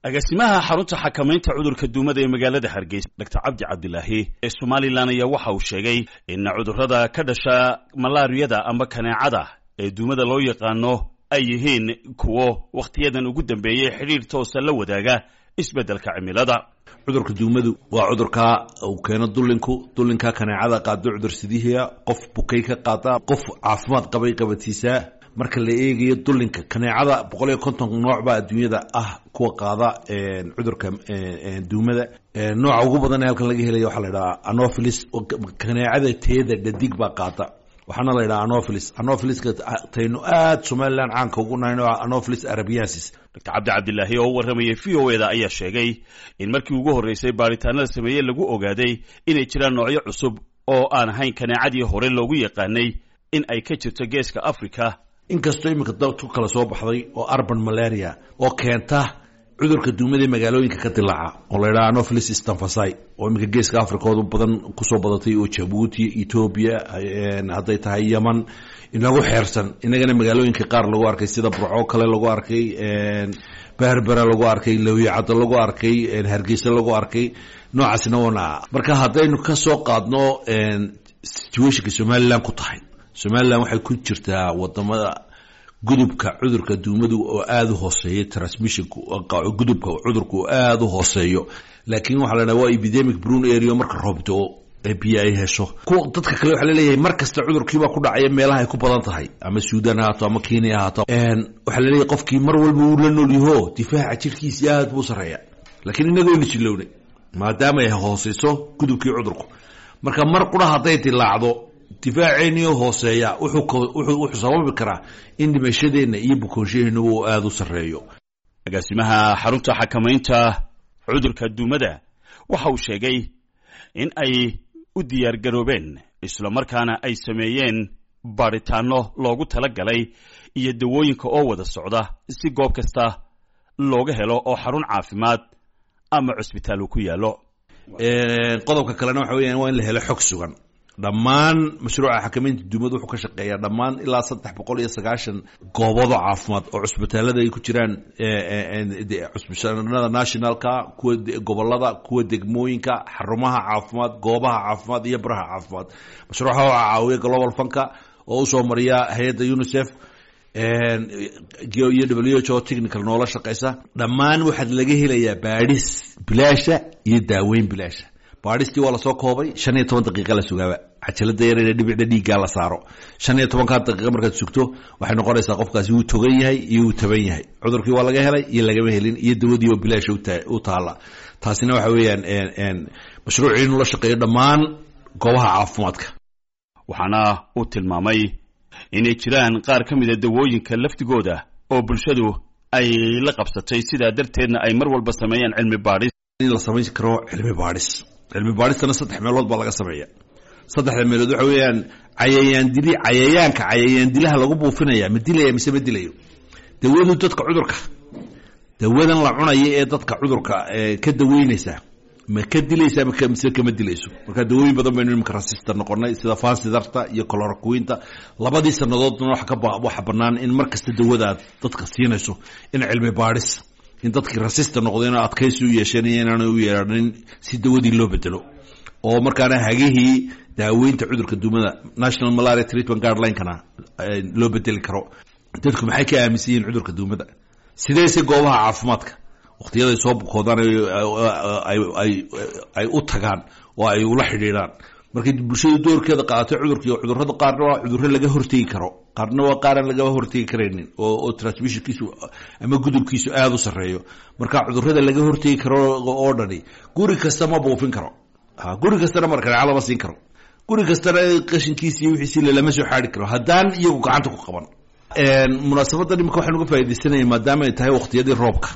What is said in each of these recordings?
Agaasimaha xarunta xakamaynta cudurka duumada ee magaalada Hargeysa, Dr Cabdi Cabdilaahi ee Somalilan, ayaa waxa uu sheegay in cudurrada ka dhasha malaariyada ama kaneecada ee duumada loo yaqaano ay yihiin kuwo wakhtiyadan ugu dambeeyey xidhiir toosa la wadaaga isbeddelka cimilada. Cudurka duumadu waa cudurka uu keeno dullinku, dullinka kaneecada qaado, cudur sidihiya qof bukay ka qaada, qof caafimaad qabay qabatiisaa. Marka la eegayo dullinka kaneecada, 150 nooc baa adduunyada ah kuwa qaada cudurka duumada. Nooca ugu badan ee halkan laga helaya waxaa la idhaha anopheles. Kaneecada teeda dhadig baa qaada, waxaana la yidhaha anopheles. Anopheliska taynu aad Somaliland caanka ugu nahay nooca Anopheles arabiensis. Dr Cabdi Cabdilaahi oo u warramayay VOA da ayaa sheegay in markii ugu horreysay baaritaanada sameeye lagu ogaaday inay jiraan noocyo cusub oo aan ahayn kaneecadii hore loogu yaqaanay in ay ka jirto Geeska Africa. Inkastoo iminka dad ku kala soo baxday oo urban malaria oo keenta cudurka duumada magaalooyinka ka dilaaca oo la yidhaha Anopheles stephensi, oo iminka Geeska Africooda badan kusoo badatay, oo Jabuuti, Etoobiya, hadday tahay Yeman inagu xeersan, inagana magaalooyinka qaar lagu arkay, sida Burco kale lagu arkay, Berbera lagu arkay, Lawiyacaddo lagu arkay, Hargeysa lagu arkay. Noocaasina wana marka haddaynu kasoo qaadno situationka Somaliland ku tahay, Somaliland waxay ku jirtaa wadamada gudubka cudurka duumadu oo aada u hooseeyo, transmissionka gudubka cudurka oo aada u hooseeyo. Laakiin waxaa la dhaha waa epidemic prone area. Marka roob do ee biyo ay hesho kuwa dadka kale, waxaa laleeyahay mar kasta cudurkiibaa ku dhacaya meelaha ay ku badan tahay, ama Suudan ahaato ama Kenya ahaato. Waxaa laleeyahay qofkii mar walba wuu la nool yaho, difaaca jirkiisi aad buu sareeya. Laakiin innaga waynu jilownay maadaama ay hooseyso gudubkii cudurku. Marka mar qura hadday dilaacdo, difaaceeniyo hooseeya wuxuu sababi karaa in dhimashadeenna iyo bukoonshaheenna uu aada u sarreeyo. Agaasimaha xarunta xakamaynta cudurka duumada waxa uu sheegay in ay u diyaar garoobeen, islamarkaana ay sameeyeen baadhitaano loogu tala galay iyo dawooyinka oo wada socda, si goob kasta looga helo oo xarun caafimaad ama cusbitaal uu ku yaallo. Qodobka kalena waxa weeyaan waa in la helo xog sugan. Dhammaan mashruuca xakamaynta duumada wuxuu ka shaqeeyaa dhammaan ilaa 390 goobodo caafimaad oo cusbitaalada ay ku jiraan, cusbitaalada nationalka, kuwa gobolada, kuwa degmooyinka, xarumaha caafimaad, goobaha caafimaad iyo baraha caafimaad. Mashruuca waxaa caawiya Global Fundka oo usoo mariya hay-adda UNICEF iyo WHO technical noola shaqeysa. Dhammaan waxaad laga helayaa baadhis bilaasha iyo daaweyn bilaasha. Baadhistii waa lasoo koobay, 15 daqiiqa la sugaaba, cajalada yaree dhibicda dhiiggaa la saaro. 15-kaa daqiiqa markaad sugto, waxay noqonaysaa qofkaasi wuu togan yahay iyo wuu taban yahay, cudurkii waa laga helay iyo lagama helin, iyo dawadii oo bilaasha u taala. Taasina waxa weeyaan mashruucii inuu la shaqeeyo dhammaan goobaha caafimaadka. Waxaana uu tilmaamay inay jiraan qaar ka mida dawooyinka lafdigooda oo bulshadu ay la qabsatay, sidaa darteedna ay mar walba sameeyaan cilmi baadhis. In la samayn karo cilmi baadhis. Cilmi baadhistana saddex meelood baa laga sameeya. Saddexda meelood waxa weeyaan cayayaan dili, cayayaanka cayayaan dilaha lagu buufinaya ma dilaya mise ma dilayo? Dawadu dadka cudurka, dawadan la cunaya ee dadka cudurka ka daweynaysa, ma ka dilaysa mise kama dilayso? Marka dawooyin badan baynu imika resistant noqonay, sida fansidarta iyo chloroquinta. Labadii sanadoodna waxa banaan in mar kasta dawada aad dadka siinayso in cilmi baadhis, in dadkii resistant noqdeen oo adkaysi u yeesheen iyo inaanay u yeeranin, si dawadii loo bedelo, oo markaana hagihii daaweynta cudurka duumada, National Malaria Treatment Guideline-kana loo bedeli karo. Dadku maxay ka aaminsan yihiin cudurka duumada? Sideese goobaha caafimaadka waqtiyaday soo bukoodaan ay u tagaan oo ay ula xidhiidhaan? Markay bulshadu doorkeeda qaadato cudurka, cudurrada qaarna waa cudurro laga hortegi karo, qaarna waa qaaraan laga hortegi karaynin oo transmissionkiisu ama gudubkiisu aada u sarreeyo. Marka cudurrada laga hortegi karo oo dhani, guri kasta ma buufin karo, guri kastana markaneeca lama siin karo, guri kastana qashinkiisi iyo wixiisi lalama soo xaari karo haddaan iyagu gacanta ku qaban. Munaasabadan imika waxaan uga faaidaysanaya, maadaama ay tahay waqtiyadii roobka,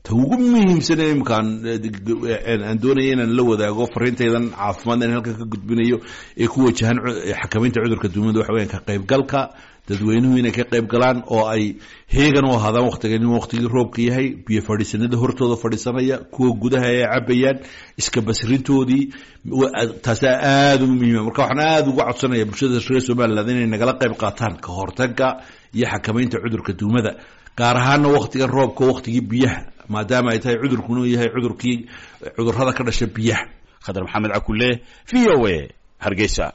ta ugu muhiimsan imika aan doonaya inaan la wadaago fariintaydan caafimaad in halkan ka gudbinayo ee ku wajahan xakamaynta cudurka duumada, waxa weyan ka qaybgalka dadweynuhu inay ka qayb galaan oo ay heegan u ahaadaan waqtigan waqtigii roobka yahay, biyo fadhiisanada hortooda fadhiisanaya, kuwa gudaha ay cabayaan, iska basrintoodii, taasaa aada ugu muhiima. Marka waxaan aada uga codsanaya bulshada reer Somaliland inay nagala qayb qaataan ka hortagga iyo xakamaynta cudurka duumada, gaar ahaana waqtigan roobka, waqtigii biyaha. Maadaama ay tahay cudurkuna yahay cudurkii cudurrada ka dhasha biyaha. Khadar Maxamed Cakule, v o a, Hargeysa.